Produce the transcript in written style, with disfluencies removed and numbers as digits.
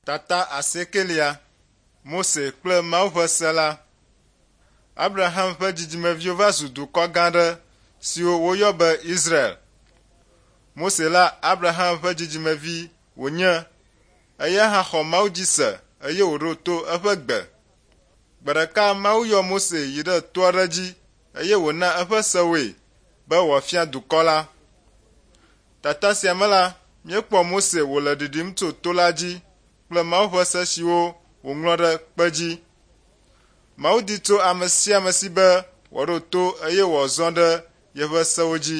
Tata asiekelia Mose kple Mawu ƒe se la. Abraham ƒe dzidzimeviwo va zu dukɔ gã aɖe siwo woyɔ be Israel. Mose la Abraham ƒe dzidzimevi wònye. Eya hã xɔ Mawu dzi se eye wòɖo to eƒe gbe. Gbe ɖeka Mawu yɔ Mose yi ɖe to aɖe dzi eye wòna eƒe sewoe be wòafia dukɔ la. Tata sia me la, míekpɔ Mose wòle ɖiɖim tso to la dzi kple Mawu ƒe se siwo wòŋlɔ ɖe kpe dzi. Mawu di tso ame sia ame si be wòaɖo to eye wòazɔ ɖe yeƒe sewo dzi.